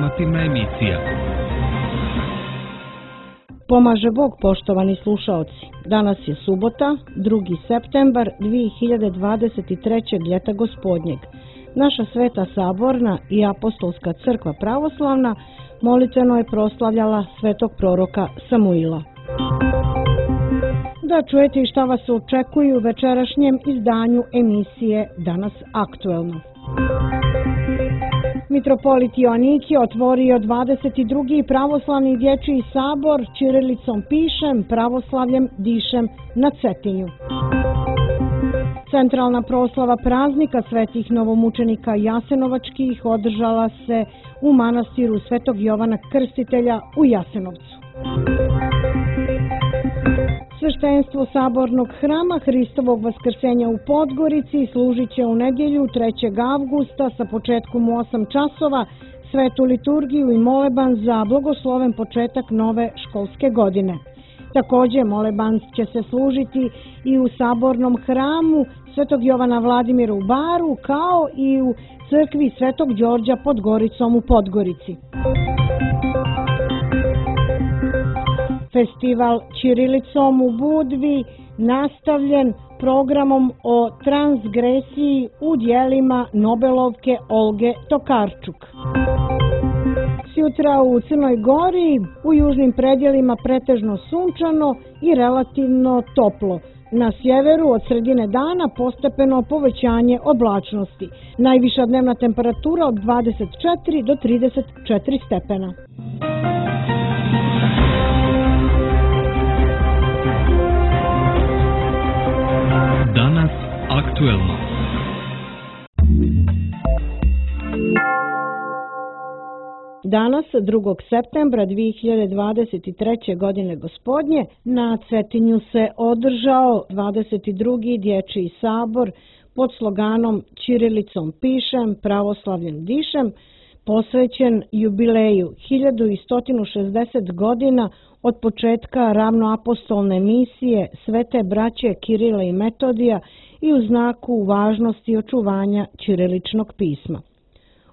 informativna emisija. Pomaže Bog, poštovani slušaoci. Danas je subota, 2. septembar 2023. ljeta gospodnjeg. Naša Sveta Saborna i Apostolska crkva pravoslavna molitveno je proslavljala svetog proroka Samuila. Da čujete i šta vas očekuju u večerašnjem izdanju emisije Danas aktuelno. Mitropolit Joanikije otvorio 22. pravoslavni dječji sabor ćirilicom pišem, pravoslavljem dišem na Cetinju. Centralna proslava praznika svetih novomučenika jasenovačkih održala se u manastiru Svetog Jovana Krstitelja u Jasenovcu. Sveštenstvo sabornog hrama Hristovog vaskrsenja u Podgorici služit će u nedjelju 3. avgusta sa početkom u 8 časova svetu liturgiju i moleban za blagosloven početak nove školske godine. Također moleban će se služiti i u sabornom hramu Svetog Jovana Vladimira u Baru, kao i u crkvi Svetog Đorđa pod Goricom u Podgorici. Festival ćirilicom u Budvi nastavljen programom o transgresiji u djelima Nobelovke Olge Tokarčuk. Sutra u Crnoj Gori, u južnim predjelima pretežno sunčano i relativno toplo. Na sjeveru od sredine dana postepeno povećanje oblačnosti. Najviša dnevna temperatura od 24 do 34 stepena. Danas aktuelno. Danas, 2. septembra 2023. godine gospodnje, na Cetinju se održao 22. dječji sabor pod sloganom ćirilicom pišem, pravoslavljem dišem, posvećen jubileju 1160 godina od početka ravnoapostolne misije Svete braće Kirila i Metodija i u znaku važnosti očuvanja ćiriličnog pisma.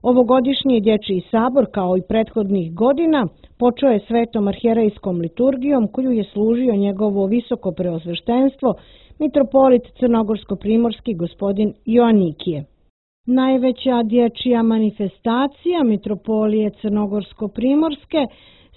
Ovogodišnji dječji sabor, kao i prethodnih godina, počeo je svetom arhijerejskom liturgijom koju je služio njegovo visoko preosveštenstvo, mitropolit crnogorsko-primorski gospodin Joanikije. Najveća dječja manifestacija mitropolije crnogorsko-primorske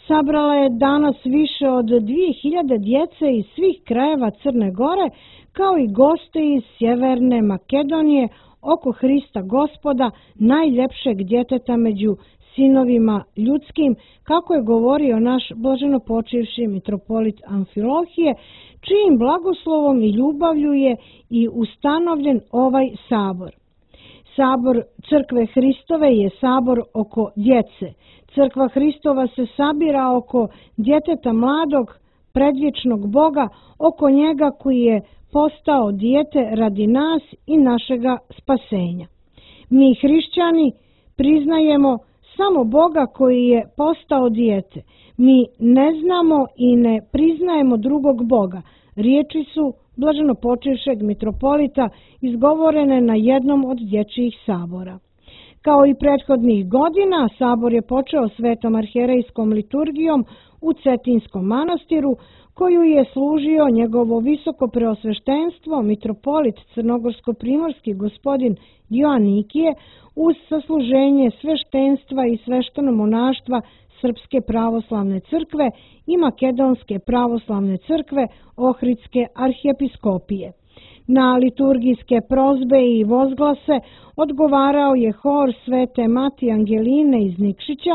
sabrala je danas više od 2000 djece iz svih krajeva Crne Gore, kao i goste iz Sjeverne Makedonije, oko Hrista Gospoda, najljepšeg djeteta među sinovima ljudskim, kako je govorio naš blaženopočivši mitropolit Amfilohije, čijim blagoslovom i ljubavlju je i ustanovljen ovaj sabor. Sabor Crkve Hristove je sabor oko djece. Crkva Hristova se sabira oko djeteta mladog, predvječnog Boga, oko njega koji je postao dijete radi nas i našega spasenja. Mi hrišćani priznajemo samo Boga koji je postao dijete. Mi ne znamo i ne priznajemo drugog Boga. Riječi su blaženopočivšeg mitropolita izgovorene na jednom od dječjih sabora. Kao i prethodnih godina, sabor je počeo svetom arhijerejskom liturgijom u Cetinskom manastiru, koju je služio njegovo visoko preosveštenstvo, mitropolit crnogorsko-primorski gospodin Joanikije, uz sasluženje sveštenstva i sveštenomonaštva Srpske pravoslavne crkve i Makedonske pravoslavne crkve Ohridske arhijepiskopije. Na liturgijske prozbe i vozglase odgovarao je hor Svete Mati Angeline iz Nikšića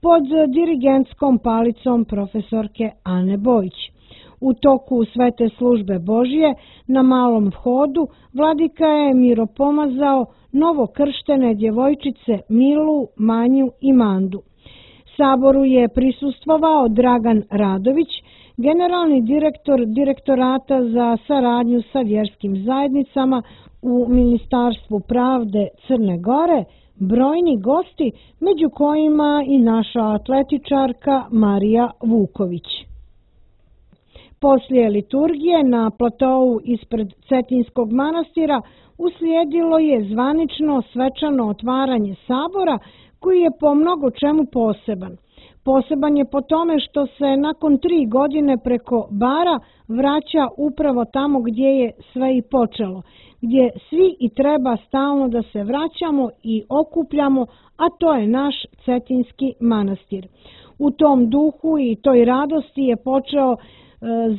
pod dirigentskom palicom profesorke Ane Bojić. U toku svete službe Božije na malom vhodu vladika je miropomazao novokrštene djevojčice Milu, Manju i Mandu. Saboru je prisustvovao Dragan Radović, generalni direktor Direktorata za saradnju sa vjerskim zajednicama u Ministarstvu pravde Crne Gore, brojni gosti, među kojima i naša atletičarka Marija Vuković. Poslije liturgije na platovu ispred Cetinskog manastira uslijedilo je zvanično svečano otvaranje sabora koji je po mnogo čemu poseban. Poseban je po tome što se nakon 3 godine preko bara vraća upravo tamo gdje je sve i počelo, gdje svi i treba stalno da se vraćamo i okupljamo, a to je naš Cetinjski manastir. U tom duhu i toj radosti je počeo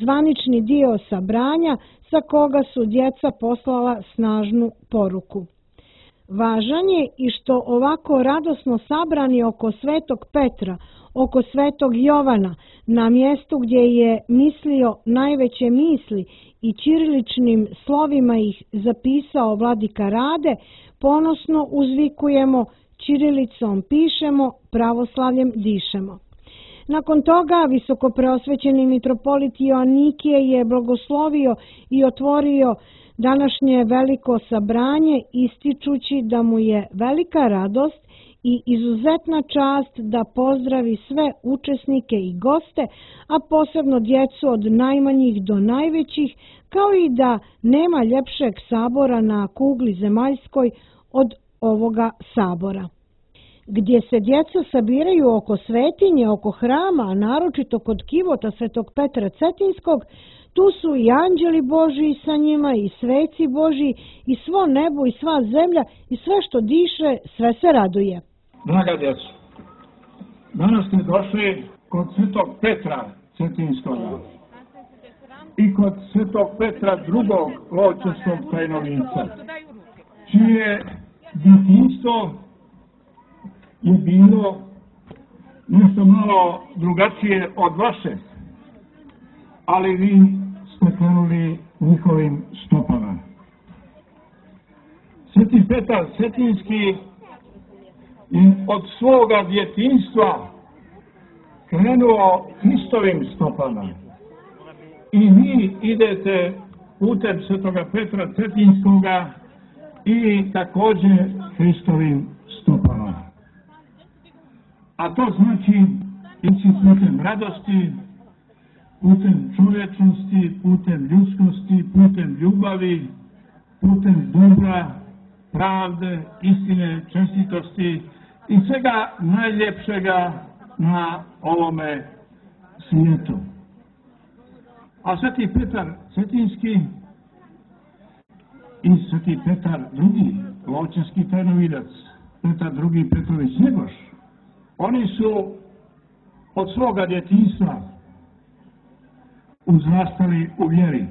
zvanični dio sabranja sa koga su djeca poslala snažnu poruku. Važan je i što ovako radosno sabrani oko Svetog Petra, oko Svetog Jovana, na mjestu gdje je mislio najveće misli i ćiriličnim slovima ih zapisao vladika Rade, ponosno uzvikujemo, ćirilicom pišemo, pravoslavljem dišemo. Nakon toga visokopreosvećeni mitropolit Joanikije je blagoslovio i otvorio današnje veliko sabranje, ističući da mu je velika radost i izuzetna čast da pozdravi sve učesnike i goste, a posebno djecu od najmanjih do najvećih, kao i da nema ljepšeg sabora na kugli zemaljskoj od ovoga sabora. Gdje se djeca sabiraju oko svetinje, oko hrama, a naročito kod kivota Svetog Petra Cetinjskog, tu su i anđeli Božji sa njima, i sveci Božji, i svo nebo, i sva zemlja, i sve što diše, sve se raduje. Draga djeco, danas ste došli kod Svetog Petra Cetinjskog i kod Svetog Petra drugog Lovćanskog tajnovinca, čije djetinjstvo je bilo nešto malo drugačije od vaše, ali vi ste krenuli njihovim stopama. Sveti Petar Cetinjski je od svoga djetinjstva krenuo Hristovim stopama. I vi idete putem Svetoga Petra Cetinjskoga i također Hristovim stopama. A to znači ići putem radosti, putem čovječnosti, putem ljudskosti, putem ljubavi, putem dobra, pravde, istine, čestitosti i svega najljepšega na ovome svijetu. A Sveti Petar Cetinjski i Sveti Petar drugi, Lovćanski tajnovidac, Petar drugi Petrović Njegoš, oni su od svoga djetinjstva uzrastali u vjeri,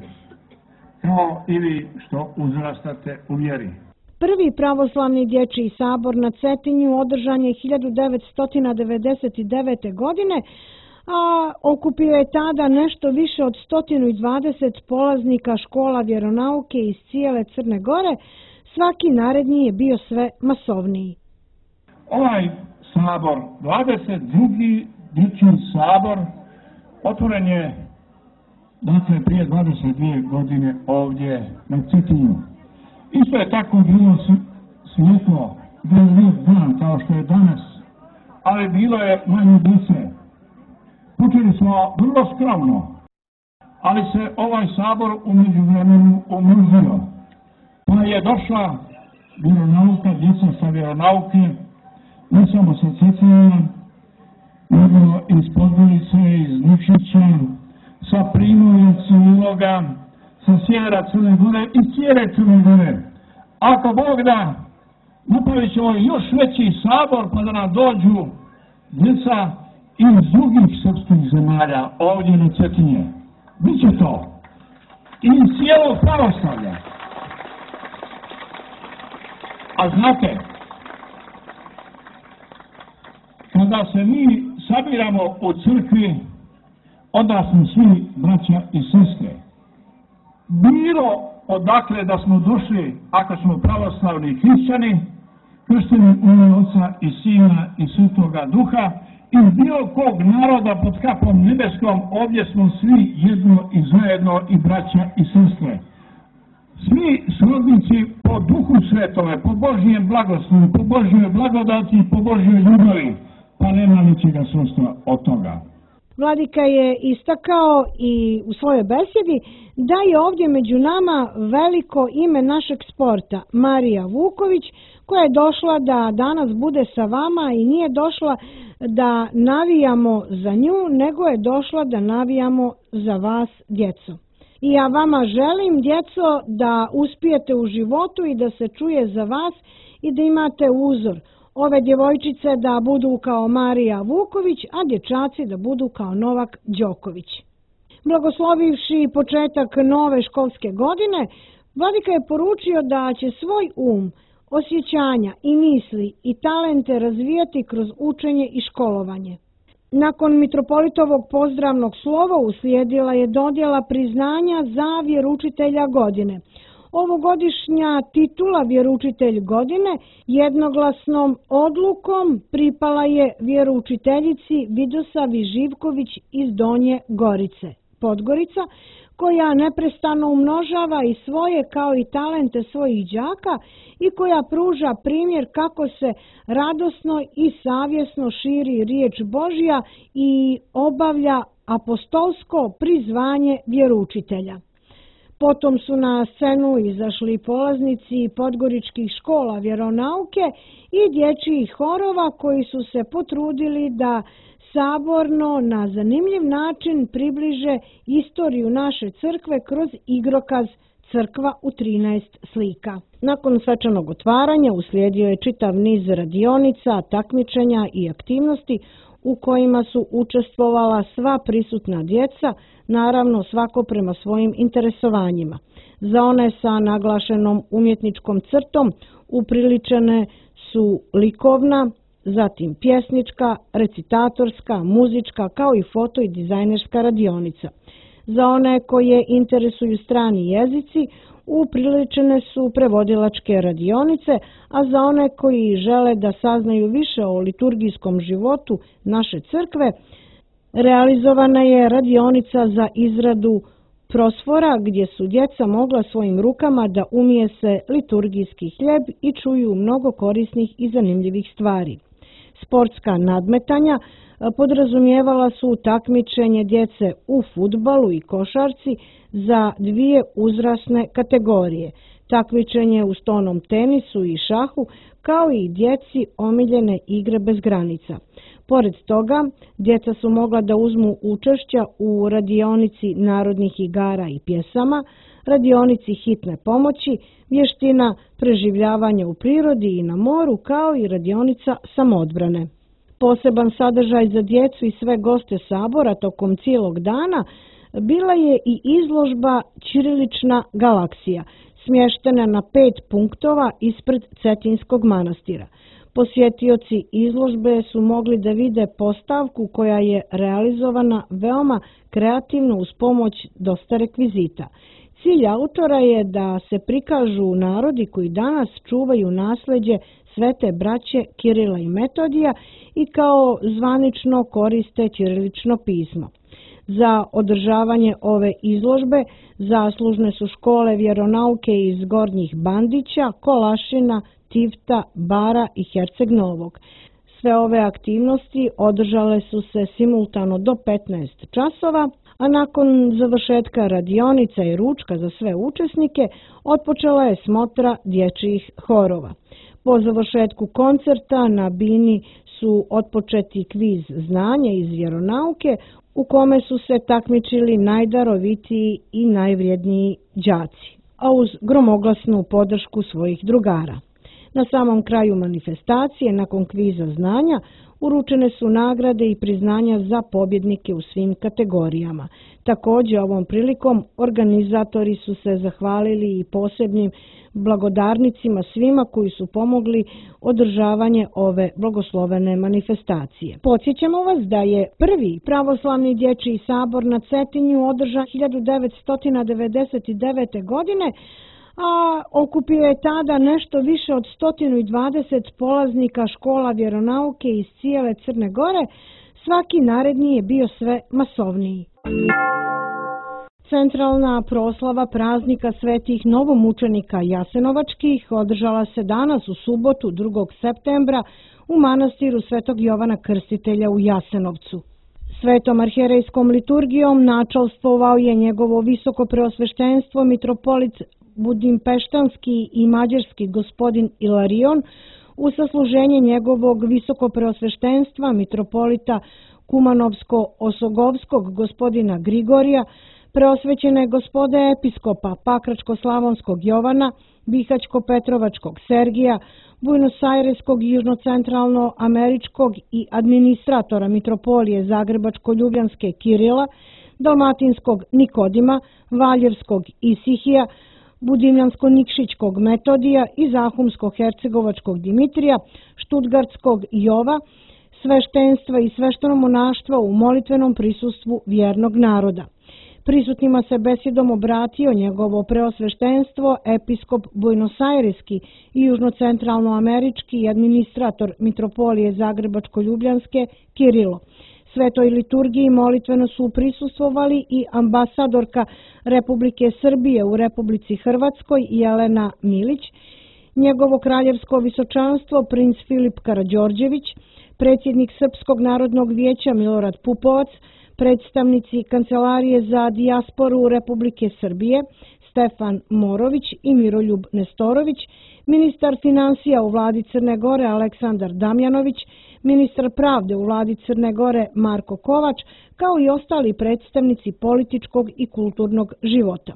kao i vi što uzrastate u vjeri. Prvi pravoslavni dječji sabor na Cetinju održan je 1999. godine, a okupio je tada nešto više od 120 polaznika škola vjeronauke iz cijele Crne Gore. Svaki naredni je bio sve masovniji. Ovaj sabor, 22. dječji sabor, otvoren je dakle prije 22 godine ovdje na Cetinju. Isto je tako bilo svjetlo, bio lijep dan kao što je danas, ali bilo je manje djece. Počeli smo vrlo skromno, ali se ovaj sabor u međuvremenu umnožio. Pa je došla vjeronauka, djeca sa vjeronauke, ne samo sa Cetinja, nego iz Podgorice, iz Nušića, sa Primorja, Iloga, sa sjevera Crne Gore i cijele Crne Gore. Ako Bog da, napravit ćemo još veći sabor pa da nam dođu djeca iz drugih srpskih zemalja ovdje na Cetinje. Biće to. I iz cijelog pravoslavlja. A znate, kada se mi sabiramo u crkvi, onda smo svi braća i sestre. Bilo odakle da smo došli, ako smo pravoslavni hrišćani, kršteni u ime Oca i Sina i Svetoga Duha, iz bilo kog naroda pod kapom nebeskom, ovdje smo svi jedno i zajedno i braća i sestre. Svi srodnici po Duhu Svetome, po Božjem blagoslovu, po Božjoj blagodati, po Božjoj ljubavi, pa nema ničega sredstva od toga. Vladika je istakao i u svojoj besjedi da je ovdje među nama veliko ime našeg sporta, Marija Vuković, koja je došla da danas bude sa vama i nije došla da navijamo za nju, nego je došla da navijamo za vas, djeco. I ja vama želim, djeco, da uspijete u životu i da se čuje za vas i da imate uzor. Ove djevojčice da budu kao Marija Vuković, a dječaci da budu kao Novak Đoković. Blagoslovivši početak nove školske godine, Vladika je poručio da će svoj osjećanja i misli i talente razvijati kroz učenje i školovanje. Nakon mitropolitovog pozdravnog slova uslijedila je dodjela priznanja za vjeroučitelja godine. Ovogodišnja titula vjeroučitelj godine jednoglasnom odlukom pripala je vjeroučiteljici Vidosavi Živković iz Donje Gorice, Podgorica, koja neprestano umnožava i svoje kao i talente svojih đaka i koja pruža primjer kako se radosno i savjesno širi riječ Božja i obavlja apostolsko prizvanje vjeroučitelja. Potom su na scenu izašli polaznici podgoričkih škola vjeronauke i dječjih horova koji su se potrudili da saborno na zanimljiv način približe istoriju naše crkve kroz igrokaz Crkva u 13 slika. Nakon svečanog otvaranja uslijedio je čitav niz radionica, takmičenja i aktivnosti u kojima su učestvovala sva prisutna djeca, naravno svako prema svojim interesovanjima. Za one sa naglašenom umjetničkom crtom upriličene su likovna, zatim pjesnička, recitatorska, muzička kao i foto i dizajnerska radionica. Za one koje interesuju strani jezici upriličene su prevodilačke radionice, a za one koji žele da saznaju više o liturgijskom životu naše crkve, realizovana je radionica za izradu prosfora gdje su djeca mogla svojim rukama da umijese liturgijski hljeb i čuju mnogo korisnih i zanimljivih stvari. Sportska nadmetanja podrazumijevala su takmičenje djece u fudbalu i košarci za dvije uzrasne kategorije, takmičenje u stonom tenisu i šahu, kao i djeci omiljene igre bez granica. Pored toga, djeca su mogla da uzmu učešća u radionici narodnih igara i pjesama, radionici hitne pomoći, vještina preživljavanja u prirodi i na moru, kao i radionica samoodbrane. Poseban sadržaj za djecu i sve goste sabora tokom cijelog dana bila je i izložba Ćirilična galaksija, smještena na 5 punktova ispred Cetinskog manastira. Posjetioci izložbe su mogli da vide postavku koja je realizovana veoma kreativno uz pomoć dosta rekvizita. Cilj autora je da se prikažu narodi koji danas čuvaju nasleđe svete braće Kirila i Metodija i kao zvanično koriste ćirilično pismo. Za održavanje ove izložbe zaslužne su škole vjeronauke iz Gornjih Bandića, Kolašina, Tivta, Bara i Herceg Novog. Sve ove aktivnosti održale su se simultano do 15 časova, a nakon završetka radionica i ručka za sve učesnike otpočela je smotra dječjih horova. Po završetku koncerta na bini su otpočeti kviz znanja iz vjeronauke u kome su se takmičili najdarovitiji i najvrijedniji đaci, a uz gromoglasnu podršku svojih drugara. Na samom kraju manifestacije, nakon kviza znanja, uručene su nagrade i priznanja za pobjednike u svim kategorijama. Također, ovom prilikom organizatori su se zahvalili i posebnim blagodarnicima svima koji su pomogli održavanje ove blagoslovene manifestacije. Podsjećamo vas da je prvi pravoslavni dječji sabor na Cetinju održan 1999. godine, a okupio je tada nešto više od 120 polaznika škola vjeronauke iz cijele Crne Gore. Svaki naredni je bio sve masovniji. Centralna proslava praznika svetih novomučenika Jasenovačkih održala se danas u subotu 2. septembra u manastiru Svetog Jovana Krstitelja u Jasenovcu. Svetom arhijerejskom liturgijom načalstvovao je njegovo visoko preosveštenstvo mitropolit budimpeštanski i mađarski gospodin Ilarion u sasluženje njegovog visoko preosveštenstva mitropolita Kumanovsko-Osogovskog gospodina Grigorija, preosvećene gospode episkopa Pakračko-Slavonskog Jovana, Bihać-Petrovačkog Sergija, Buenos-Aireskog južnocentralno-američkog i administratora mitropolije Zagrebačko-Ljubljanske Kirila, Dalmatinskog Nikodima, Valjevskog Isihija, Budimljansko-Nikšićkog Metodija i Zahumsko-Hercegovačkog Dimitrija, Štutgartskog Jova, sveštenstva i sveštenomonaštva u molitvenom prisustvu vjernog naroda. Prisutnima se besedom obratio njegovo preosveštenstvo, episkop Buenos-Aireski i južnocentralnoamerički i administrator mitropolije Zagrebačko-Ljubljanske Kirilo. Svetoj liturgiji molitveno su prisustvovali i ambasadorka Republike Srbije u Republici Hrvatskoj Jelena Milić, njegovo kraljevsko visočanstvo princ Filip Karađorđević, predsjednik Srpskog narodnog vijeća Milorad Pupovac, predstavnici Kancelarije za dijasporu Republike Srbije Stefan Morović i Miroljub Nestorović, ministar finansija u vladi Crne Gore Aleksandar Damjanović, ministar pravde u vladi Crne Gore Marko Kovač, kao i ostali predstavnici političkog i kulturnog života.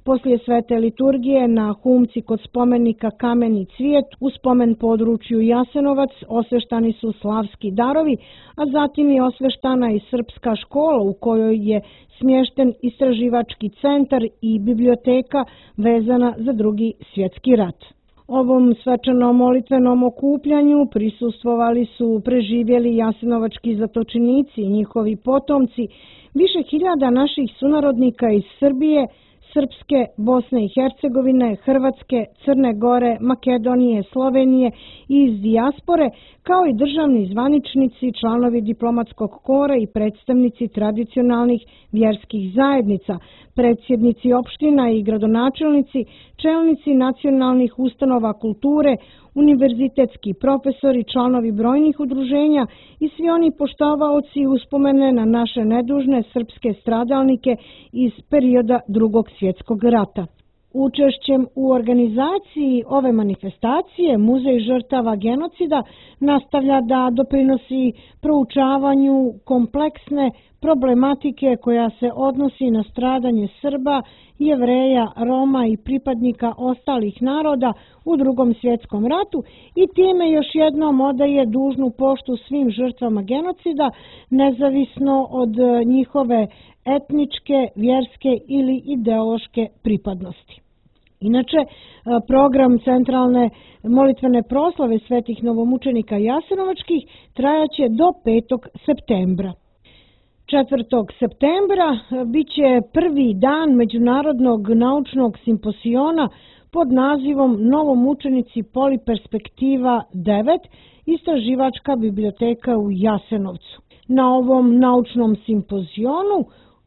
Poslije svete liturgije na humci kod spomenika Kameni cvijet u spomen području Jasenovac osveštani su slavski darovi, a zatim je osveštana i srpska škola u kojoj je smješten istraživački centar i biblioteka vezana za Drugi svjetski rat. Ovom svečanom molitvenom okupljanju prisustvovali su preživjeli jasenovački zatočenici i njihovi potomci, više hiljada naših sunarodnika iz Srbije, Srpske, Bosne i Hercegovine, Hrvatske, Crne Gore, Makedonije, Slovenije i iz dijaspore, kao i državni zvaničnici, članovi diplomatskog kora i predstavnici tradicionalnih vjerskih zajednica, predsjednici opština i gradonačelnici, čelnici nacionalnih ustanova kulture, univerzitetski profesori, članovi brojnih udruženja i svi oni poštovaoci uspomene na naše nedužne srpske stradalnike iz perioda Drugog svjetskog rata. Učešćem u organizaciji ove manifestacije Muzej žrtava genocida nastavlja da doprinosi proučavanju kompleksne problematike koja se odnosi na stradanje Srba, Jevreja, Roma i pripadnika ostalih naroda u Drugom svjetskom ratu i time još jednom odaje dužnu poštu svim žrtvama genocida, nezavisno od njihove etničke, vjerske ili ideološke pripadnosti. Inače, program centralne molitvene proslave svetih novomučenika jasenovačkih trajaće do 5. septembra. 4. septembra biće prvi dan Međunarodnog naučnog simposiona pod nazivom Novomučenici Poliperspektiva 9, istraživačka biblioteka u Jasenovcu. Na ovom naučnom simpozionu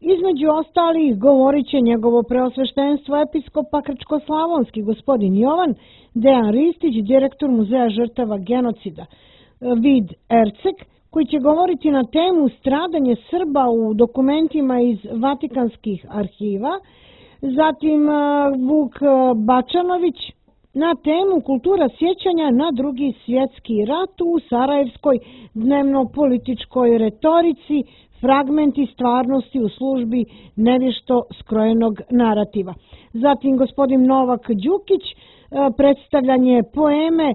između ostalih govorit će njegovo preosveštenstvo episkop Pakračko-Slavonski gospodin Jovan, Dejan Ristić, direktor Muzeja žrtava genocida, Vid Ercek, koji će govoriti na temu stradanje Srba u dokumentima iz Vatikanskih arhiva, zatim Vuk Bačanović na temu kultura sjećanja na Drugi svjetski rat u sarajevskoj dnevno-političkoj retorici, fragmenti stvarnosti u službi nevješto skrojenog narativa. Zatim gospodin Novak Đukić, predstavljanje poeme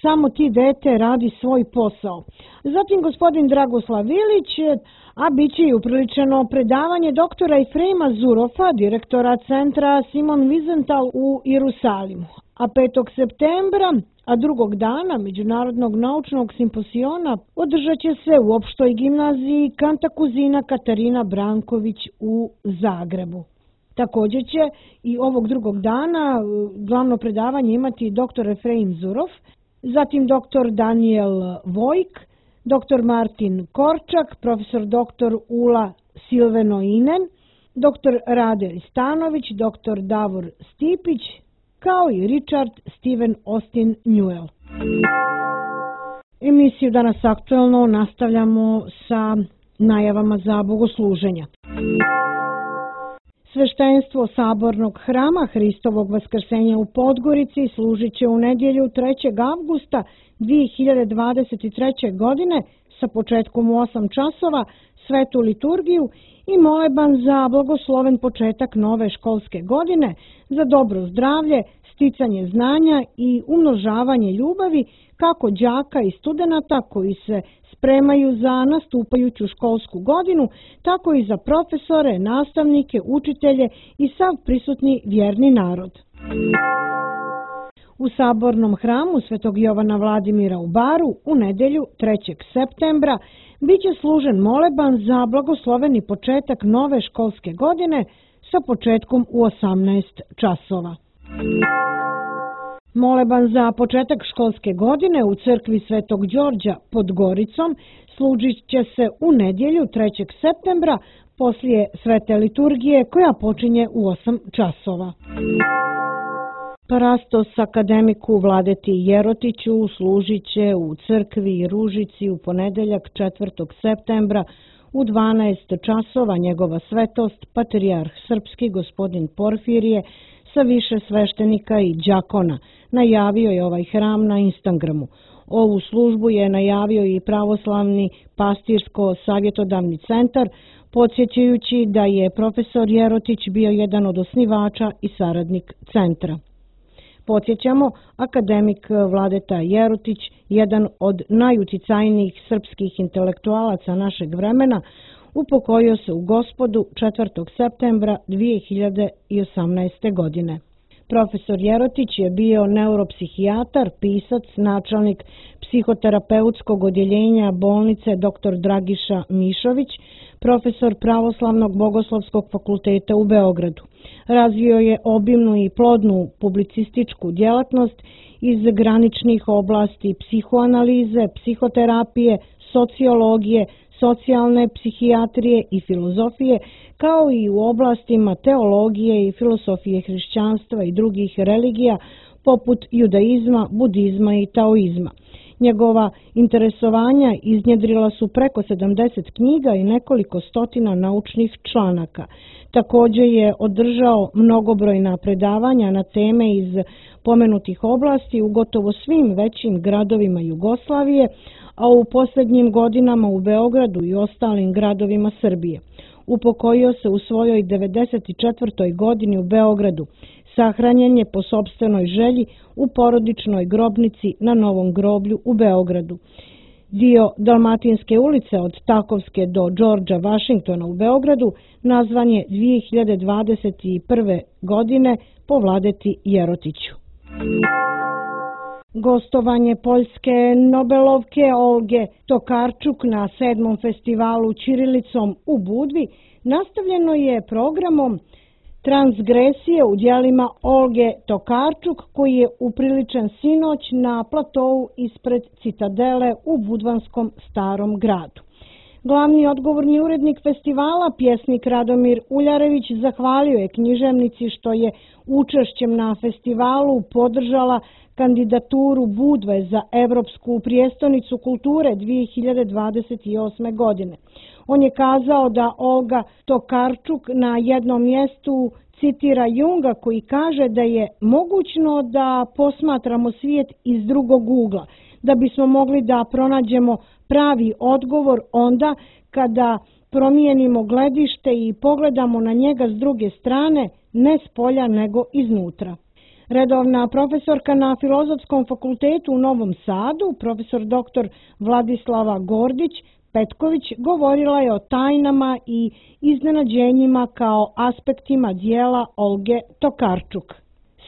Samo ti dete radi svoj posao. Zatim gospodin Dragoslav Ilić, a bit će i upriličeno predavanje doktora Efrema Zurofa, direktora centra Simon Wiesenthal u Jerusalimu. A 5. septembra, a drugog dana Međunarodnog naučnog simposiona održat će se u opštoj gimnaziji Kantakuzina Katarina Branković u Zagrebu. Također će i ovog drugog dana glavno predavanje imati dr. Efrem Zurov, zatim dr. Daniel Vojk, dr. Martin Korčak, profesor dr. Ula Silvenoinen, dr. Rade Ristanović, dr. Davor Stipić, kao i Richard Steven Austin Newell. Emisiju Danas aktuelno nastavljamo sa najavama za bogosluženja. Sveštenstvo Sabornog hrama Hristovog vaskrsenja u Podgorici služit će u nedjelju 3. avgusta 2023. godine sa početkom u 8 časova svetu liturgiju i moleban za blagosloven početak nove školske godine, za dobro zdravlje, sticanje znanja i umnožavanje ljubavi kako đaka i studenata koji se spremaju za nastupajuću školsku godinu, tako i za profesore, nastavnike, učitelje i sav prisutni vjerni narod. U Sabornom hramu Svetog Jovana Vladimira u Baru u nedjelju 3. septembra biće služen moleban za blagosloveni početak nove školske godine sa početkom u 18 časova. Moleban za početak školske godine u crkvi Svetog Đorđa pod Goricom služit će se u nedjelju 3. septembra poslije svete liturgije koja počinje u 8 časova. Parastos akademiku Vladeti Jerotiću služit će u crkvi Ružici u ponedeljak 4. septembra u 12 časova njegova svetost, patrijarh srpski gospodin Porfirije sa više sveštenika i đakona. Najavio je ovaj hram na Instagramu. Ovu službu je najavio i pravoslavni pastirsko-savjetodavni centar, podsjećajući da je profesor Jerotić bio jedan od osnivača i saradnik centra. Podsjećamo, akademik Vladeta Jerotić, jedan od najuticajnijih srpskih intelektualaca našeg vremena, upokojio se u Gospodu 4. septembra 2018. godine. Profesor Jerotić je bio neuropsihijatar, pisac, načelnik psihoterapeutskog odjeljenja bolnice dr. Dragiša Mišović, profesor Pravoslavnog bogoslovskog fakulteta u Beogradu. Razvio je obimnu i plodnu publicističku djelatnost iz graničnih oblasti psihoanalize, psihoterapije, sociologije, socijalne psihijatrije i filozofije, kao i u oblastima teologije i filosofije hrišćanstva i drugih religija poput judaizma, budizma i taoizma. Njegova interesovanja iznjedrila su preko 70 knjiga i nekoliko stotina naučnih članaka. Također je održao mnogobrojna predavanja na teme iz pomenutih oblasti u gotovo svim većim gradovima Jugoslavije, a u posljednjim godinama u Beogradu i ostalim gradovima Srbije. Upokojio se u svojoj 94. godini u Beogradu. Sahranjen je po sopstvenoj želji u porodičnoj grobnici na Novom groblju u Beogradu. Dio Dalmatinske ulice od Takovske do Đorđa Vašingtona u Beogradu nazvan je 2021. godine po Vladeti Jerotiću. Gostovanje poljske Nobelovke Olge Tokarčuk na 7. festivalu ćirilicom u Budvi nastavljeno je programom Transgresije u djelima Olge Tokarčuk koji je upriličen sinoć na platovu ispred Citadele u Budvanskom starom gradu. Glavni odgovorni urednik festivala, pjesnik Radomir Uljarević, zahvalio je književnici što je učešćem na festivalu podržala kandidaturu Budve za Evropsku prijestolnicu kulture 2028. godine. On je kazao da Olga Tokarčuk na jednom mjestu citira Junga koji kaže da je mogućno da posmatramo svijet iz drugog ugla, da bismo mogli da pronađemo pravi odgovor onda kada promijenimo gledište i pogledamo na njega s druge strane, ne s polja nego iznutra. Redovna profesorka na Filozofskom fakultetu u Novom Sadu, profesor dr. Vladislava Gordić Petković, govorila je o tajnama i iznenađenjima kao aspektima dijela Olge Tokarčuk.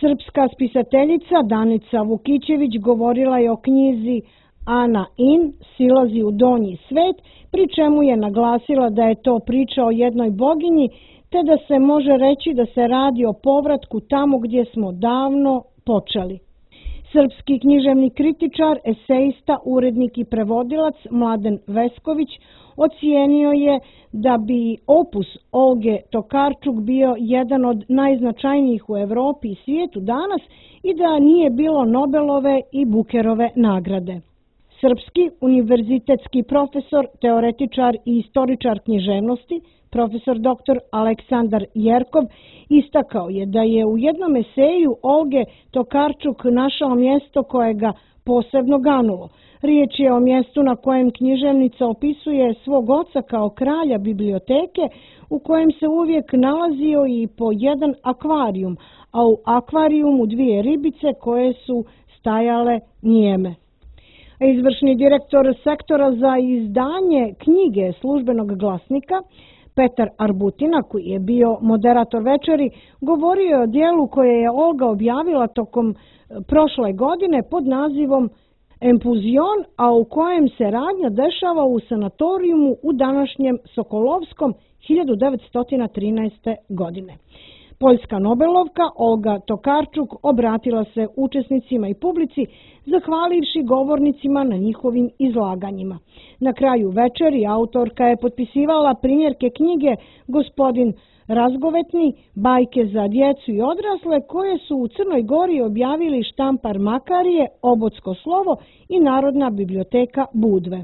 Srpska spisateljica Danica Vukićević govorila je o knjizi Ana In, Silazi u donji svet, pri čemu je naglasila da je to priča o jednoj boginji, te da se može reći da se radi o povratku tamo gdje smo davno počeli. Srpski književni kritičar, esejista, urednik i prevodilac Mladen Vesković ocijenio je da bi opus Olge Tokarčuk bio jedan od najznačajnijih u Evropi i svijetu danas i da nije bilo Nobelove i Bukerove nagrade. Srpski univerzitetski profesor, teoretičar i istoričar književnosti, profesor dr. Aleksandar Jerkov, istakao je da je u jednom eseju Olge Tokarčuk našao mjesto koje ga posebno ganulo. Riječ je o mjestu na kojem književnica opisuje svog oca kao kralja biblioteke u kojem se uvijek nalazio i po jedan akvarijum, a u akvarijumu 2 ribice koje su stajale nijeme. Izvršni direktor sektora za izdanje knjige Službenog glasnika, Petar Arbutina, koji je bio moderator večeri, govorio je o dijelu koje je Olga objavila tokom prošle godine pod nazivom Empuzion, a u kojem se radnja dešava u sanatorijumu u današnjem Sokolovskom 1913. godine. Poljska Nobelovka Olga Tokarčuk obratila se učesnicima i publici, zahvalivši govornicima na njihovim izlaganjima. Na kraju večeri autorka je potpisivala primjerke knjige Gospodin Razgovetni, bajke za djecu i odrasle, koje su u Crnoj Gori objavili Štampar Makarije, Obodsko slovo i Narodna biblioteka Budve.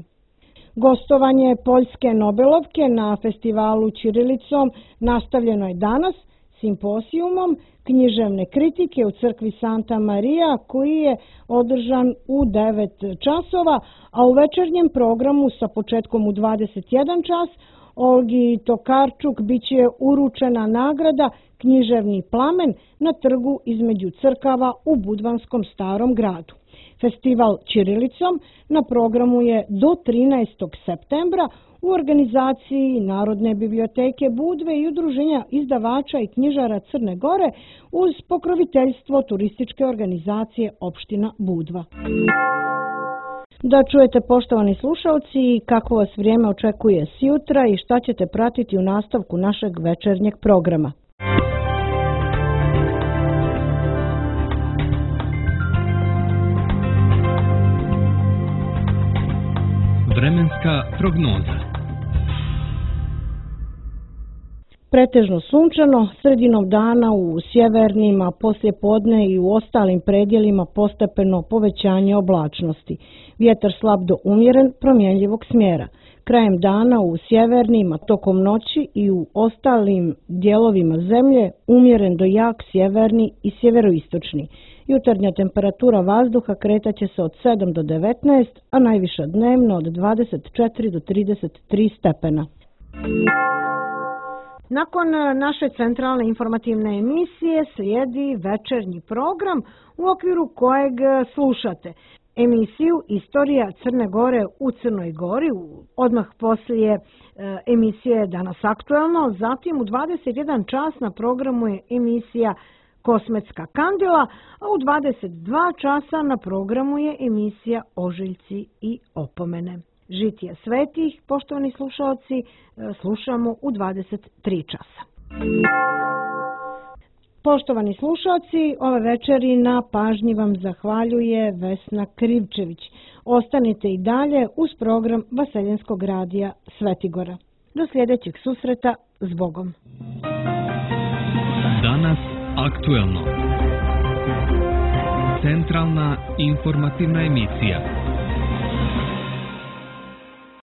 Gostovanje Poljske Nobelovke na festivalu ćirilicom nastavljeno je danas simposijumom književne kritike u crkvi Santa Marija, koji je održan u 9 časova, a u večernjem programu sa početkom u 21 čas Olgi Tokarčuk biće uručena nagrada Književni plamen na trgu između crkava u Budvanskom starom gradu. Festival ćirilicom na programu je do 13. septembra u organizaciji Narodne biblioteke Budve i Udruženja izdavača i knjižara Crne Gore uz pokroviteljstvo turističke organizacije opština Budva. Da čujete, poštovani slušalci, kako vas vrijeme očekuje sjutra i šta ćete pratiti u nastavku našeg večernjeg programa. Vremenska prognoza. Pretežno sunčano, sredinom dana u sjevernim, a poslije podne i u ostalim predjelima postepeno povećanje oblačnosti. Vjetar slab do umjeren, promjenljivog smjera. Krajem dana u sjevernim, a tokom noći i u ostalim dijelovima zemlje umjeren do jak sjeverni i sjeveroistočni. Jutarnja temperatura vazduha kretaće se od 7 do 19, a najviša dnevno od 24 do 33 stepena. Nakon naše centralne informativne emisije slijedi večernji program u okviru kojeg slušate emisiju Istorija Crne Gore u Crnoj Gori, odmah poslije emisije Danas aktuelno, zatim u 21 čas na programu je emisija Kosmetska kandila, a u 22 časa na programu je emisija Ožiljci i opomene. Žitije svetih, poštovani slušalci, slušamo u 23 časa. Poštovani slušalci, ove večeri na pažnji vam zahvaljuje Vesna Krivčević. Ostanite i dalje uz program Vaseljenskog radija Svetigora. Do sljedećeg susreta, zbogom. Danas aktuelno. Centralna informativna emisija.